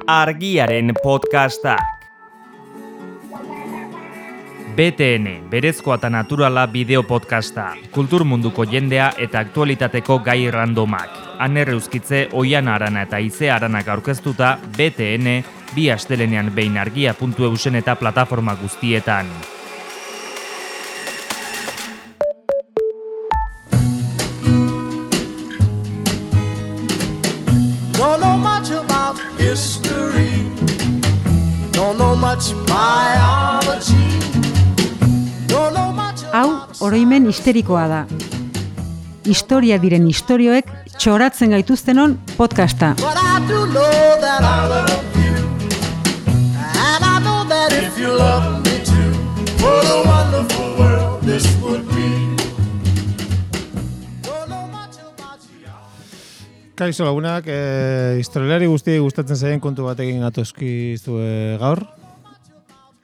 Argiaren podcastak. BTN, berezkoa eta naturala bideo podcasta, kultur munduko jendea eta aktualitateko gai randomak. Aner Euskitze, Oian Arana eta Ize Aranak aurkeztuta, BTN, bi astelenean behin argia.eusen eta plataforma guztietan. Don't know much about history. Don't know much biology. Don't know much Hau, oroimen histerikoa da. Historia diren istorioek txoratzen gaituztenon podcasta. but I do know that I love you. And I know that if you love me too, what a wonderful world this would be. Don't know much about you. Kaixo lagunak, historialari guztiei gustatzen zaien kontu batekin gatozkizue gaur.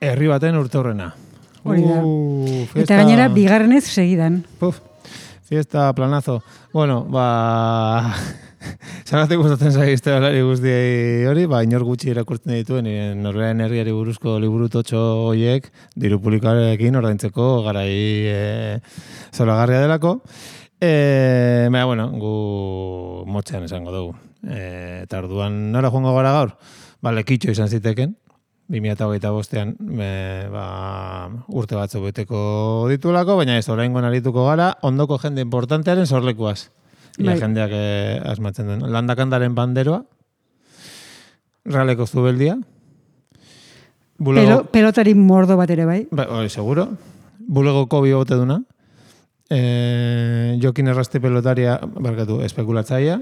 Herri baten urteurrena. Hori da. Fiesta... Eta gainera, bigarrenez segidan. Fiesta planazo. Bueno, zagatik gustatzen zaie historialari guztiei hori, inor gutxi irakurtzen dituen, Norberaren herriari buruzko liburu totxo horiek, diru publikoarekin ordaintzeko garai zoragarria delako. Bueno, gu motxean esango dugu. Eta orduan nora joango gara gaur? Lekitxo izan ziteken, 2025an urte batzuk beteko ditulako, baina ez oraingoan arituko gara, ondoko jende importantearen sorlekuaz. Ia jendeak asmatzen duen. Landakandaren banderoa, Realeko zubeldia, Pelotari mordo bat ere bai. Seguro. Bulegoko biboteduna, Jokin Errasti pelotaria, espekulatzaia,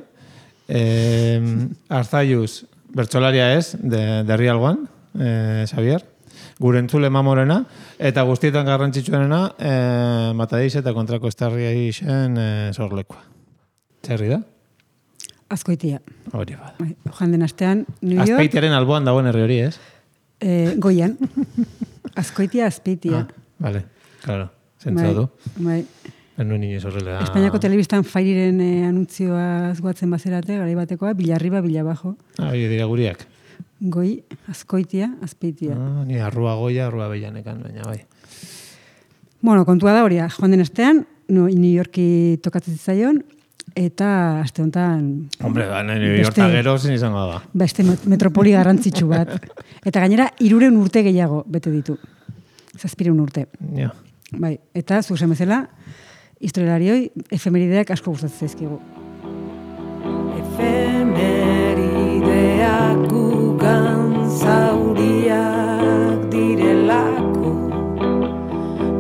Arzaiuz, bertsolaria ez, de Real One, Xavier, gure entzule mamorena, eta guztietan garrantzitsuenena, Matadeiz eta kontrako estarria isen sorlekoa. Txerri da? Azkoitia. Hori bada. Joan den astean, New York. Azpeitiaren alboan dagoen herri hori, ez? Goian. Azkoitia, Azpeitia. Vale, claro. Zentzatu. Bai. Nuen inoiz horrela. Espainiako telebistan Fairiren anuntzioa azguatzen bazerate, garai batekoa, Bilarriba, Bilabajo. Hori dira guriak. Goi, Azkoitia, Azpeitia. Ni arrua goia, arrua bellanekan, baina bai. Bueno, kontua da horia, joan den astean, New Yorki tokatzen zitzaion, eta aste honetan... Hombre, New Yorka gero zen izango da. Beste metropoli garrantzitsu bat. Eta gainera, 300 urte gehiago bete ditu. 700 urte. Ja. Bai, eta zuzen bezala, historialarioi efemerideak asko gustatzen zaizkigu. Efemerideak gugan zauriak direlako,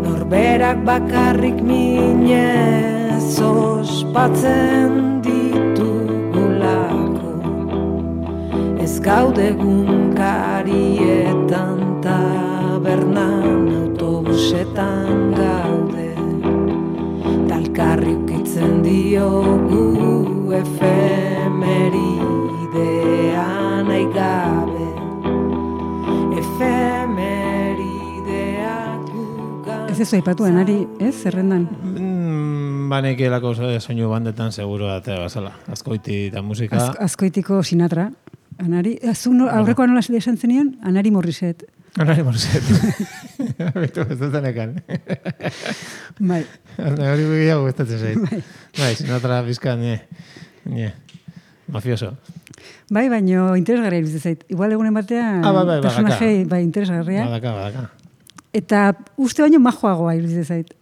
norberak bakarrik minez ospatzen ditugulako, ez gaude gunkarietan tabernan autobusetan gaude, talkarri ukitzen diogu efemeridea nahi gabe, efemerideak gugan. Ez ez aipatu Anari, ez, zerrendan? Banekielako soinu bandetan seguro atea bazala. Azkoiti eta musika. Azkoitiko Sinatra. Anari, aurrekoa nola esan zenion? Anari Morriset. Anari Morriset. Bitu, ez dut enekan. Bai. Hori gehiago gustatzen zait. Bai, Sinatra bizka, mafioso. Bai, baino interesgarria iruditzen zait. Igual egunen batean personaje interesgarria. Badaka. Eta uste baino majoagoa iruditzen zait.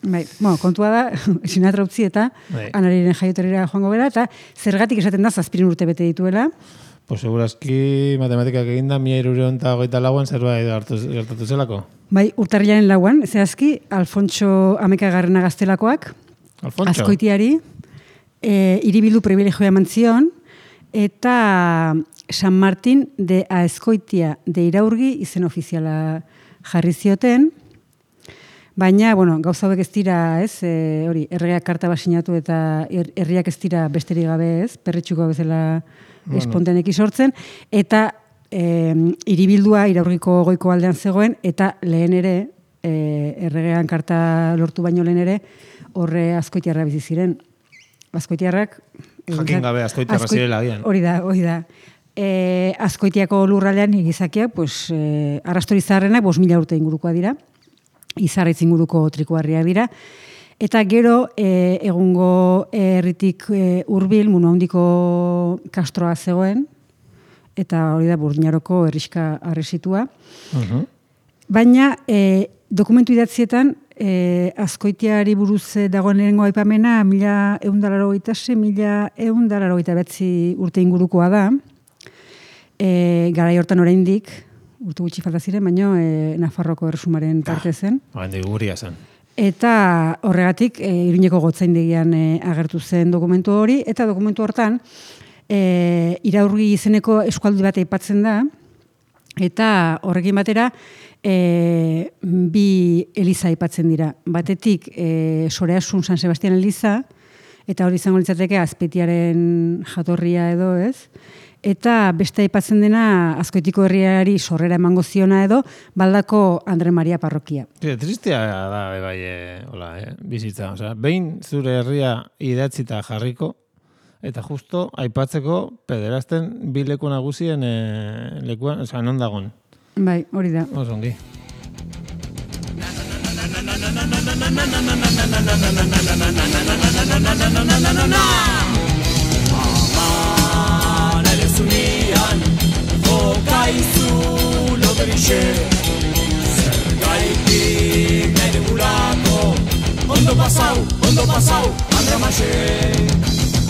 Bai, kontua da, Sinatra utzi eta Anariren jaioterira joango bera, eta zergatik esaten da 700 urte bete dituela. Pues segurazki matematikak eginda 1324an zerbait gertatu zelako. Bai, urtarrilaren 4an, zehazki, Alfontso Amekagarrena gaztelakoak, Azkoitiari, hiribildu privilegioa eman zion, eta San Martin de Azkoitia de Iraurgi izen ofiziala jarri zioten, baina, gauza hauek ez dira, ez, erregeak karta basinatu eta herriak ez dira besterik gabe, ez, perretxuko bezala espontaneiki sortzen, eta hiribildua Iraurgiko goiko aldean zegoen, eta lehen ere, erregean karta lortu baino lehen ere, horre Azkoitiarra bizi ziren. Azkoitiarrak Jakin gabe Azkoitiarra zirela gian. Hori da. Azkoitiako lurraldean gizakiak, pues, arrastori zaharrenak 5.000 urte ingurukoa dira, izarraitz inguruko trikuarriak dira, eta gero egungo herritik hurbil Muno Handiko kastroa zegoen, eta hori da Burdinaroko herriska arresitua. Baina dokumentu idatzietan Azkoitiari buruz dagoen lehenengo aipamena 1186-1189 urte ingurukoa da. Garai hortan oraindik urte gutxi falta ziren, baino Nafarroko erresumaren parte zen. Handik guria zen. Eta horregatik Iruñeko gotzaindegian agertu zen dokumentu hori, eta dokumentu hortan Iraurgi izeneko eskualde bat aipatzen da, eta horrekin batera bi eliza aipatzen dira. Batetik Soreasun San Sebastian eliza, eta hori izango litzateke Azpeitiaren jatorria edo, ez? Eta beste aipatzen dena Azkoitiko herriari sorrera emango ziona edo Baldako Andre Maria parrokia. Tristea da, bizitza. Osea, behin zure herria idatzita jarriko, eta justo aipatzeko pederazten bi leku nagusien lekuan, osea, non dagon. Bai, hori da. Osongi. Zunian, jokaizu loderixe, zergaitik nahi degulako, ondo pasau, Andre Maxe.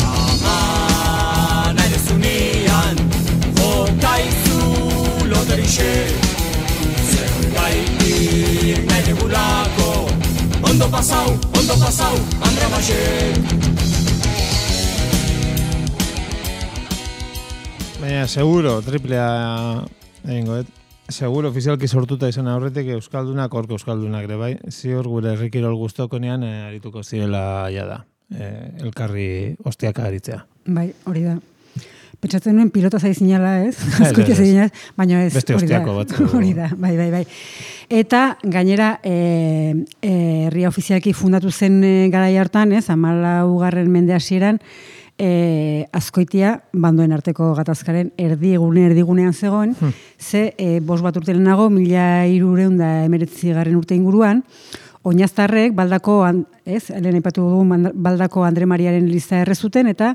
Ama nahi zunian, jokaizu loderixe, zergaitik nahi degulako, ondo pasau, Andre Maxe. Baina, seguro, triplea egingo, seguro ofizialki sortuta izan aurretik Euskaldunak, orko Euskaldunak ere bai, ziur gure herrikirol guztokonean arituko zirela jada, elkarri ostiaka aritzea. Bai, hori da. Pentsatzen nuen pilota zaizinala, ez? Azkoitia zaizinala, baina ez. Beste ostiako bat. Hori da, bai. Eta gainera, herria ofizialki fundatu zen garai hartan, ez? 14. mende hasieran, Azkoitia bandoen arteko gatazkaren erdigunean zegoen, ze 5 bat urte lehenago, 1319 urte inguruan, oinaztarrek Baldako, lehen aipatu dugu Baldako Andre Mariaren eliza errezuten, eta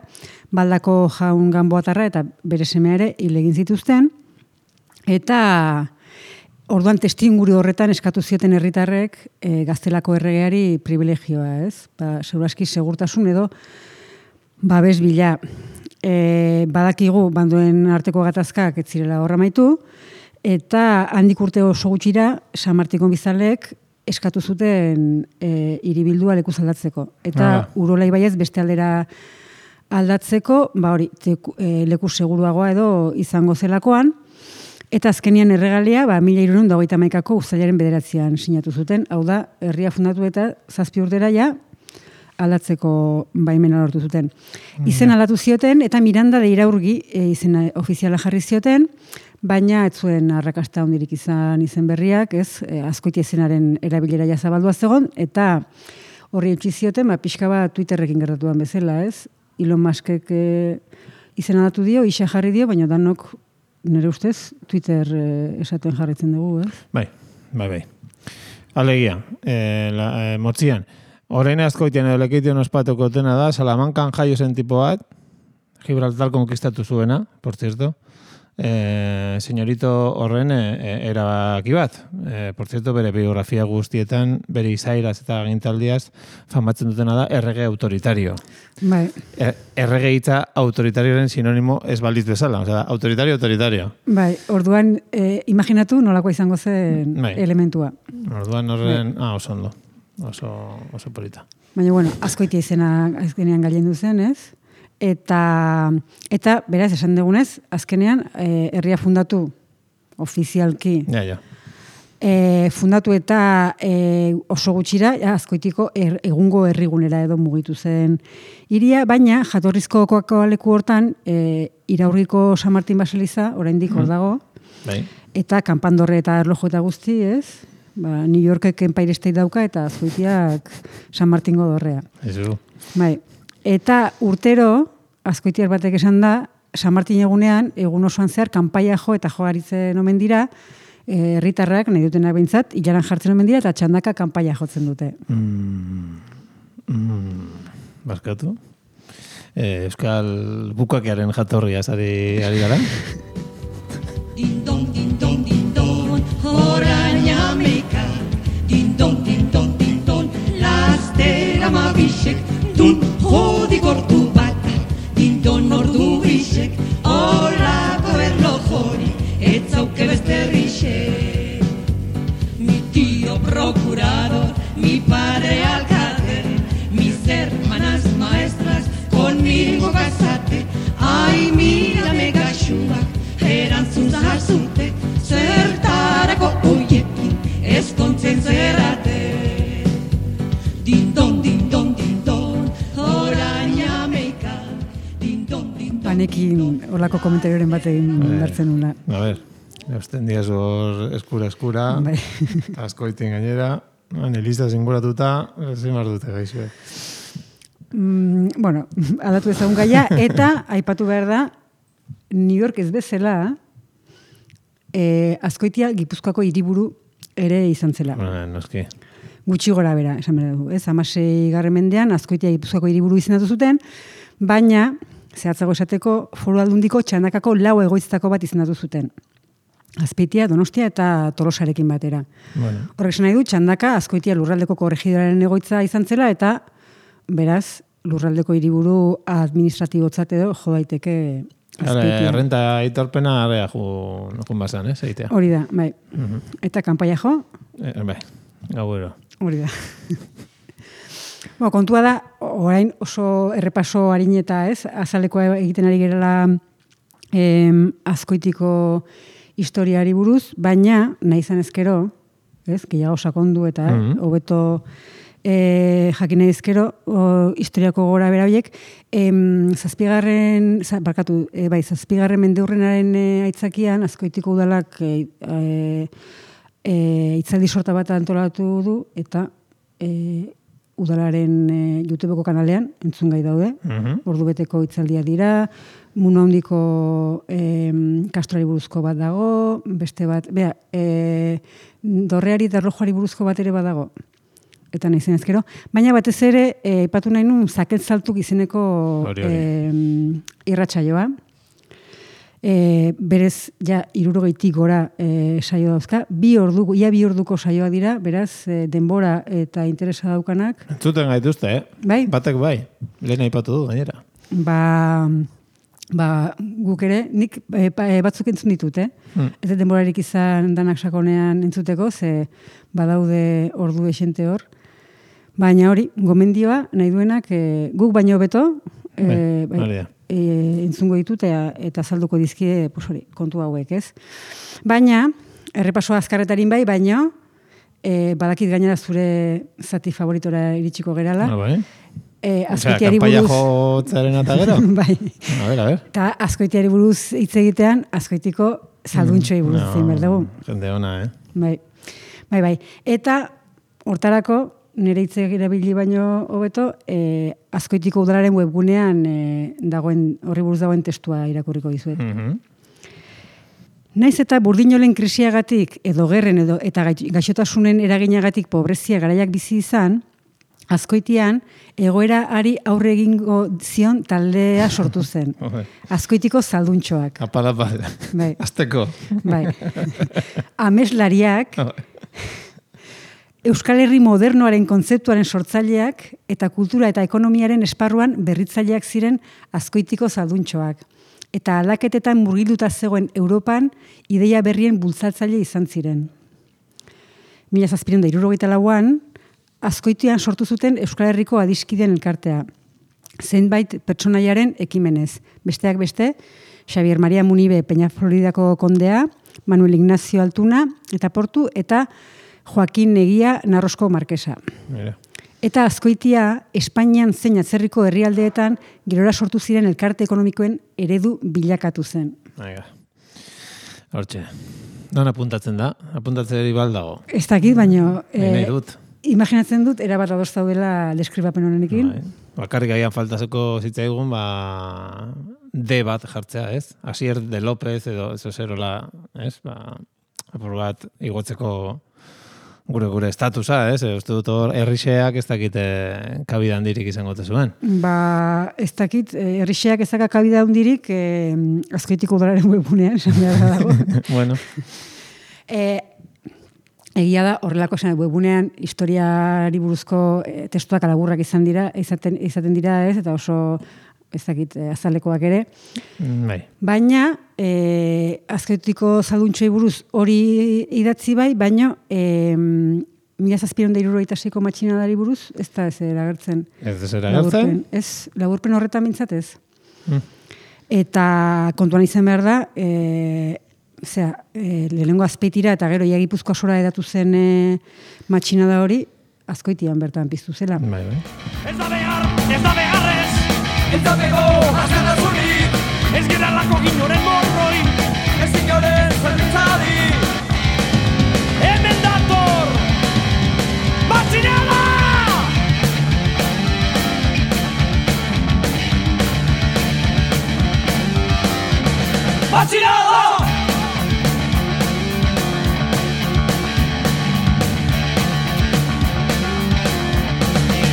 Baldako jaun Ganboatarra eta bere semea ere hil egin zituzten, eta orduan testuinguru horretan eskatu zioten herritarrek Gaztelako erregeari privilegioa, ez? Segurazki segurtasun edo babes bila. Badakigu bandoen arteko gatazkak ez zirela horra maitu, eta handik urte oso gutxira San Martikon bizalek eskatu zuten hiribildua lekuz aldatzeko. Eta Urola ibaiez beste aldera aldatzeko, leku seguruagoa edo izango zelakoan, eta azkenian erregalia 1321ko uztailaren 9an sinatu zuten, hau da, herria fundatu eta 7 urtera ja aldatzeko baimena lortu zuten. Izen aldatu zioten, eta Miranda de Iraurgi izena ofiziala jarri zioten, baina ez zuen arrakasta hondirik izan izen berriak, ez, Azkoitia izenaren erabilera ja zabaldua zegoen, eta horri utzi zioten, pixka bat Twitterrekin gertatuan bezala, ez? Elon Muskek izen aldatu dio, isa jarri dio, baina danok nire ustez Twitter esaten jarritzen dugu, ez? Bai. Alegia, motzian, orain Azkoitian edo Lekeition ospatuko dena da, Salamankan jaio zen tipo bat, Gibraltar konkistatu zuena, por cierto, señorito horren erabaki bat. Por cierto, bere biografia guztietan, bere izairaz eta agintaldiaz famatzen dutena da errege autoritario. Bai. Errege hitza autoritarioaren sinonimo ez balditz bezala, osea, autoritario. Bai, orduan, imaginatu nolako izango zen elementua. Orduan horren, oso ondo. Oso polita. Baina, bueno, Azkoitia izena azkenean gailendu zen, ez? Eta beraz, esan dugunez, azkenean, herria fundatu ofizialki. Ja. Fundatu eta oso gutxira, Azkoitiko egungo herrigunera edo mugitu zen hiria, baina jatorrizko leku hortan, Iraurgiko San Martin baseliza, oraindik hor dago, eta kanpandorre eta erlojo eta guzti, ez? New Yorkek Empire State dauka eta Azkoitiak San Martingo dorrea. Ezu. Bai. Eta urtero, Azkoitiar batek esan da, San Martin egunean, egun osoan zehar, kanpaia jo eta jogaritzen omen dira, herritarrak nahi dutenak behintzat, ilaran jartzen omen dira, eta txandaka kanpaia jotzen dute. Barkatu. Euskal bukakearen jatorria ari gara. Dindon, dindon, dindon, orain ameka. Dindon, dindon, dindon, lastera mabisek. Dun, jodi gortu bat. Dindon ordu bisek, olako erlojori, etzauke besterrixek. Mi tío procurador, mi padre alcalde, mis hermanas maestras, conmigo casate. Ai, mírame gaxuak, erantzun zazute, zertarako oiekin, ezkontzen zerate. Dindon, dindon, dindon, orain ameka. Dindon, dindon. Panekin olako komentarioren batein hartzen nula. A ver, eusten diaz hor eskura, Bai. askoitin gainera, anelista zinguratuta, zemar dute gaixo. Bueno, aldatu ezagun gaia, eta aipatu behar da, New York ez bezala, Azkoitia Gipuzkoako hiriburu ere izan zela. Noski. Gutxi gora bera, esan behar du. 16. mendean Azkoitia Gipuzkoako hiriburu izendatu zuten, baina, zehatzago esateko, Foru Aldundiko txandakako 4 egoitzatako bat izendatu zuten. Azpeitia, Donostia eta Tolosarekin batera. Bueno. Horrek esan nahi du, txandaka Azkoitia lurraldeko korregidoraren egoitza izan zela, eta beraz, lurraldeko hiriburu administratibotzat edo jo daiteke Azpeitia. Errenta aitorpena area jun basan, eitea. Hori da, bai. Eta kanpaia jo? Bai, gauero. Hori da. Kontua da, orain oso errepaso harin eta azalekoa egiten ari gerela Azkoitiko historiari buruz, baina nahi izan ezkero, gehiago sakondu eta hobeto jakin nahi ezkero, historiako gora bera horiek, zazpigarren mendeurrenaren aitzakian, Azkoitiko udalak hitzaldi sorta bat antolatu du, eta udalaren YouTubeko kanalean, entzungai daude, ordubeteko hitzaldia dira, Muno handiko kastrari buruzko bat dago, beste bat, dorreari eta erlojuari buruzko bat ere badago. Eta nahi zen ezkero. Baina batez ere, ipatu nahi nun, Zaket Zaltuk izeneko irratsaioa. Berez, ja, 60 gora saio dauzka. Ia bi orduko saioa dira, beraz, denbora eta interesa daukanak. Entzuten gaituzte, Bai? Batek bai, lehen aipatu du, gainera. Guk ere, nik batzuk entzun ditut, Ez da denborarik izan danak sakonean entzuteko, ze badaude ordu esente hor. Baina hori, gomendioa, nahi duenak, guk baino beto, entzungo ditut eta azalduko dizkie kontu hauek, ez? Baina, errepasoa azkarretarin bai, baina, badakit gainera zure zati favoritora iritsiko gerala. Bai. Azkoitiari buruz... Kanpaia jotzaren eta gero? Bai. A ver. Eta Azkoitiari buruz hitz egitean, Azkoitiko salduntxoi buruz zein berdugu. Jende ona, Bai. Eta, hortarako, nire hitz erabili baino hobeto, Azkoitiko udalaren webgunean horri buruz dagoen testua irakurriko dizuet. Naiz eta burdinolen krisiagatik, edo gerren eta gaixotasunen eraginagatik pobrezia garaiak bizi izan, Azkoitian, egoera ari aurre egingo zion taldea sortu zen. Azkoitiko salduntxoak. Apala, bai. Azteko. Bai. Ameslariak, Euskal Herri modernoaren kontzeptuaren sortzaileak eta kultura eta ekonomiaren esparruan berritzaileak ziren Azkoitiko salduntxoak. Eta aldaketetan murgilduta zegoen Europan ideia berrien bultzatzaile izan ziren. 1764an, Azkoitian sortu zuten Euskal Herriko adiskideen elkartea. Zenbait pertsonaiaren ekimenez. Besteak beste, Xavier Maria Munibe Peñafloridako kondea, Manuel Ignacio Altuna eta Portu, eta Joaquin Negia Narrosko markesa. Mira. Eta Azkoitia, Espainian zein atzerriko herrialdeetan gerora sortu ziren elkarte ekonomikoen eredu bilakatu zen. Hortxe. Non apuntatzen da? Apuntatzen baldago. Ez dakit, baino... Nahi dut. Imaginatzen dut, erabat adoz daudela deskribapen honenekin. Bakarrik agian faltazeko zitzaigun, D bat jartzea, ez? Asier de López edo zerola, ez? Apur bat igotzeko gure estatusa, ez? Uste dut hor, herrixeak ez dakite kabida handirik izango zuen. Ez dakit, herrixeak ez daka kabida handirik Azkoitiko Udalaren webunean, esan behar dago. Bueno. Egia da, horrelako esan webunean historiari buruzko testuak alaburrak izaten dira, ez? Eta oso ez dakit, azalekoak ere. Bai. Baina, Azkoitiko zalduntxoi buruz hori idatzi bai, baina 1776ko matxinadari buruz, ez da ez eragertzen. Ez eragertzen? Ez, laburpen horretan mintzat ez. Eta kontuan izan behar da, lehenengo Azpeitira eta gero Gipuzkoa sora edatu zen matxinada hori, Azkoitian bertan piztu zela. Bai. Ez da beharrez, ez da bego askatasunik, ez geralako ginoren morroi, ez inoren zerbitzari. Hemen dator, matxinada! Matxinada!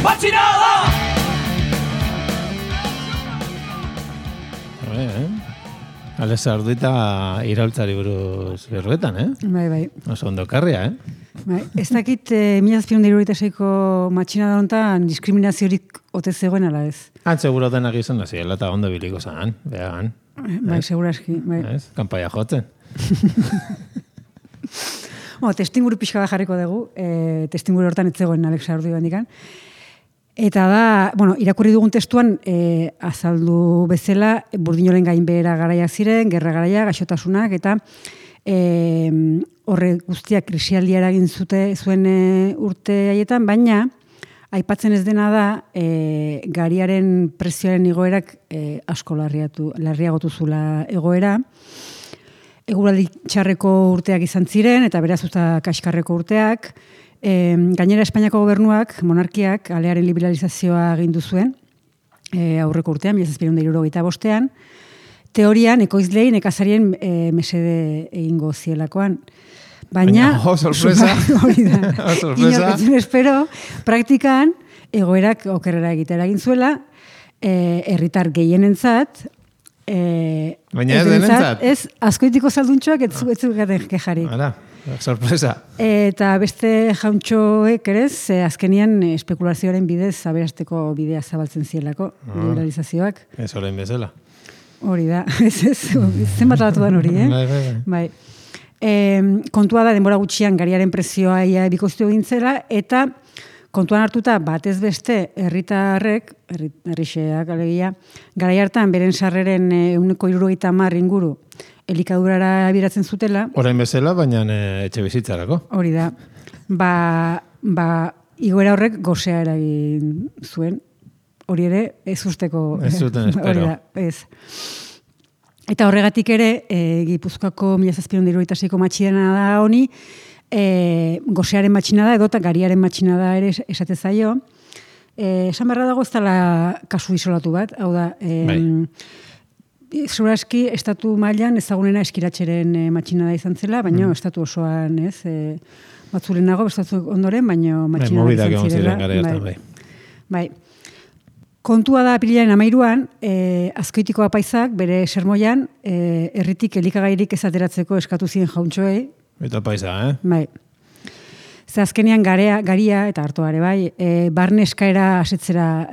Matxinada! Alex Arduita iraultzari buruz berruetan, Bai. Oso ondo karria, Bai, ez dakit 1776ko matxinada honetan diskriminaziorik ote zegoen ala ez. Seguro denak izan naziela eta ondo biliko zan, behan. Bai, seguraski. Bai. Kanpaia jotzen. Testinguru pixka bat jarriko dugu, testinguru hortan ez zegoen Alex Ardu bandikan. Eta da, irakurri dugun testuan azaldu bezala burdinolen gainbehera garaiak ziren, gerra garaia, gaixotasunak, eta horre guztiak krisialdia eragin zuen urte haietan, baina aipatzen ez dena da gariaren prezioaren igoerak asko larriagotu zula egoera. Eguraldi txarreko urteak izan ziren, eta beraz usta kaskarreko urteak. Gainera Espainiako gobernuak, monarkiak, alearen liberalizazioa agindu zuen, aurreko urtean, 1775ean, teorian, ekoizlei nekazarien mesede egingo zielakoan. Baina, sorpresa. Hori da. Inoketzen espero, praktikan, egoerak okerrera egitera egin zuela, herritar gehienentzat, baina ez denentzat? Ez, Azkoitiko zalduntxoak ez zugaten kejari. Sorpresa. Eta beste jauntxoek ere, azkenian espekulazioaren bidez aberasteko bidea zabaltzen zielako, liberalizazioak. Ez orain bezala. Hori da, zenbat alatu dan hori, Bai. Kontua da, denbora gutxian gariaren prezioa bikoiztu egintzela, eta kontuan hartuta batez beste herritarrek, herrixeak alegia, garai hartan beren sarreren 170 inguru elikadurara abiratzen zutela. Orain bezala, baina etxe bizitzarako. Hori da. Igoera horrek gozea eragin zuen. Hori ere, ez usteko. Ez zuten espero. Hori da, ez. Eta horregatik ere, Gipuzkoako 1776ko matxinada da honi, gozearen matxinada edo eta gariaren matxinada ere esate zaio. Esan beharra dago ez dela kasu isolatu bat, hau da, Zuraski, estatu mailan ezagunena eskiratxeren matxinada izan zela, baina estatu osoan, ez, batzulenago, estatu ondoren, baina matxinada izan zirela. Ziren gara hartan, bai. Kontua da apirilaren 13an, Azkoitiko apaisak, bere sermoian, herritik elikagairik ezateratzeko eskatu ziren jauntxoei. Eta paisa, Bai. Ze azkenean garia eta hartoare bai, barne eskaera asetzera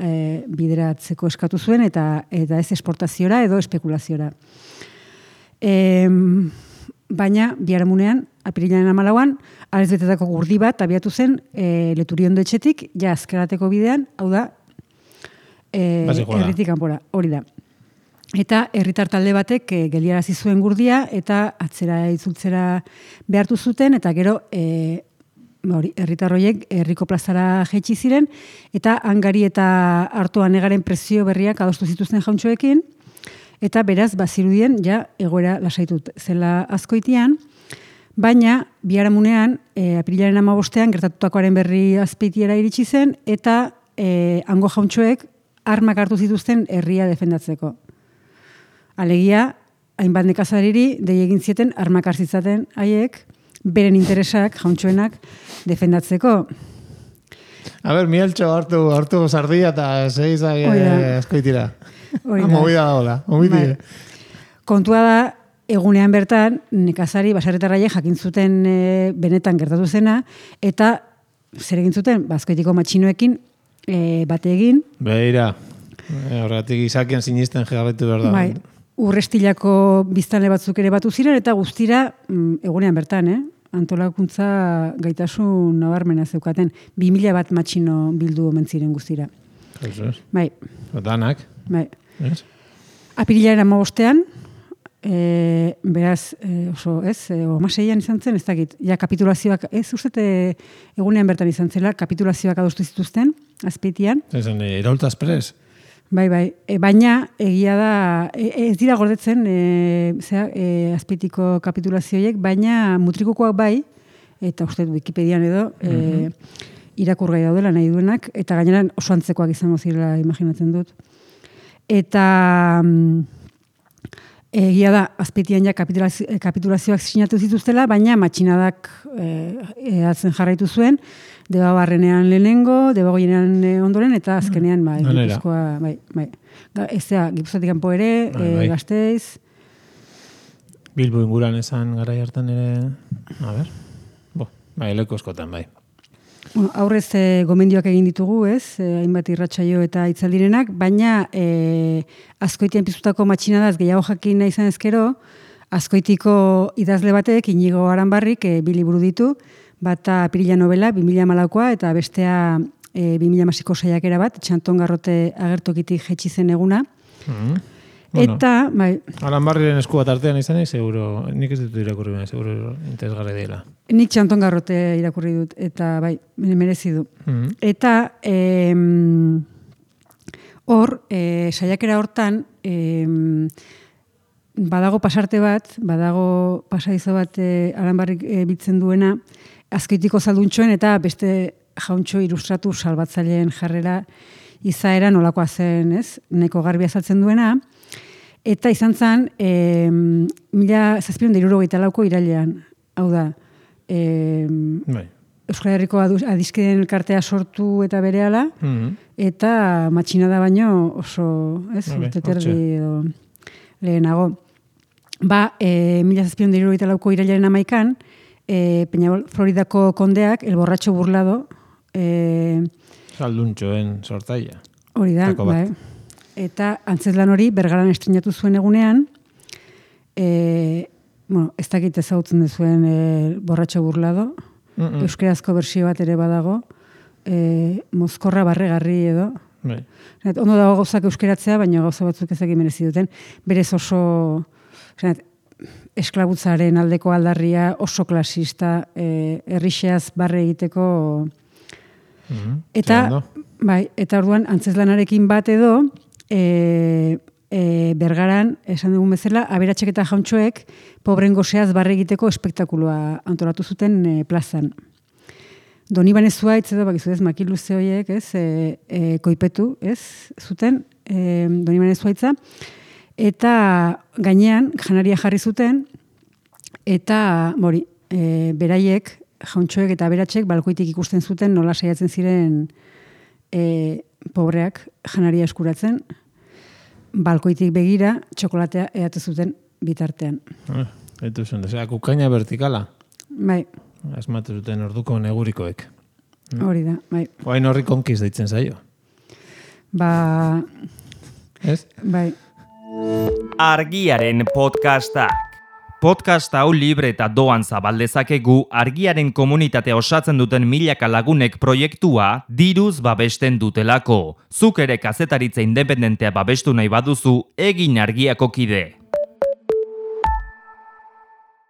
bideratzeko eskatu zuen eta ez esportaziora edo espekulaziora. Baina, biharamunean, apirilaren 14an, arez betetako gurdi bat abiatu zen Leturiondo etxetik, ja azkerateko bidean, hau da, herritik kanpora, hori da. Eta herritar talde batek geldiarazi zuen gurdia eta atzera itzultzera behartu zuten, eta gero herritar horiek herriko plazara jaitsi ziren, eta hangari eta hartoa negaren prezio berriak adostu zituzten jauntxoekin, eta beraz bazirudien ja egoera lasaitut zela Azkoitian, baina biharamunean apirilaren 15ean gertatutakoaren berri Azpeitiera iritsi zen, eta hango jauntxoek armak hartu zituzten herria defendatzeko. Alegia, hainbat nekazariri dei egin zieten armak hartzitzaten haiek, beren interesak, jauntxoenak, defendatzeko. A ber, Mieltxo hartu sardia eta seizak askoitira. Movida da hola, omitire. Kontua da, egunean bertan, nekazari basarretarraiek jakin zuten benetan gertatu zena, eta zer egin zuten, Azkoitiko matxinoekin bate egin. Beira, horregatik izakien sinisten jarraitu behar da. Bai, Urrestilako biztanle batzuk ere batu ziren, eta guztira, egunean bertan, antolakuntza gaitasun nabarmena zeukaten. 2000 bat matxino bildu omen ziren guztira. Bai. Danak. Bai. Yes. Apirilaren 15ean, beraz, oso, amaseian izan zen, ez dakit, ja kapitulazioak, ez uste egunean bertan izan zela, kapitulazioak adostu zituzten, Azpeitian. Ezen, Iraultza Express. Bai, baina egia da, ez dira gordetzen Azpeitiko kapitulazioiek, baina mutrikukoak bai, eta uste Wikipedian edo, irakurgai daudela nahi duenak, eta gainera oso antzekoak izango zirela imaginatzen dut. Eta egia da, Azpeitian ja kapitulazioak sinatu zituztela, baina matxinadak atzen jarraitu zuen, Debabarrenean lehenengo, Debagoienean ondoren, eta azkenean, Gipuzkoa, bai. Gipuzkoatik kanpo ere, Gasteiz. Bilbo inguran esan garai hartan ere, a ber, leko eskotan, bai. Bueno, aurrez gomendioak egin ditugu, hainbat irratsaio eta hitzaldirenak, baina Azkoitian piztutako matxinadaz gehiago jakin nahi izan ezkero, Azkoitiko idazle batek, Inigo Aranbarrik, 2 liburu ditu, bata Apirila novela, 2014koa, eta bestea 2016ko saiakera bat, Txanton Garrote agertokitik jetxi zen eguna. Eta, bai... Aranbarriren esku bat artean izan seguro, nik ez dut irakurri baina, seguro interesgarri dela. Nik Txanton Garrote irakurri dut, eta bai, merezi du. Eta, hor, saiakera hortan, badago pasarte bat, badago pasadizo bat Aranbarrik bitzen duena, Azkoitiko zalduntxoen eta beste jauntxo ilustratu salbatzaileen jarrera izaera nolakoa zen, neko garbi azaltzen duena, eta izan zen 1764ko irailean, hau da, Euskal Herriko adiskideen elkartea sortu eta berehala, eta matxinada baino oso, urte terdi edo lehenago. 1764ko irailaren 11an, Peñabol, Floridako kondeak, El Borratxo Burlado. Salduntxoen sortaia. Hori da, bai. Eta antzezlan hori Bergaran estrenatu zuen egunean, ez dakit ezagutzen duzuen El Borratxo Burlado, euskerazko bersio bat ere badago, mozkorra barregarri edo. Ondo dago gauzak euskeratzea, baina gauza batzuk ezagik merezi duten. Berez oso... esklabutzaren aldeko aldarria oso klasista, herrixeaz barre egiteko. Eta orduan, antzezlanarekin bat edo, Bergaran, esan dugun bezala, aberatxek eta jauntxoek pobren goseaz barre egiteko espektakuloa antolatu zuten plazan. Donibane Zuaitz edo, bakizu makiluze horiek, koipetu, zuten, Donibane Zuaitza, eta gainean janaria jarri zuten, eta beraiek, jauntxoek eta aberatxek balkoitik ikusten zuten nola saiatzen ziren pobreak janaria eskuratzen, balkoitik begira txokolatea eate zuten bitartean. Eta zuen, kukaina vertikala. Bai. Asmatu zuten orduko negurikoek. Hori da, bai. Oain horri konkiz deitzen zaio. Ez? Bai. Argiaren podcastak. Podcast hau libre eta doan zabaldezakegu Argiaren komunitatea osatzen duten milaka lagunek proiektua diruz babesten dutelako. Zuk ere kazetaritza independentea babestu nahi baduzu, egin Argiako kide.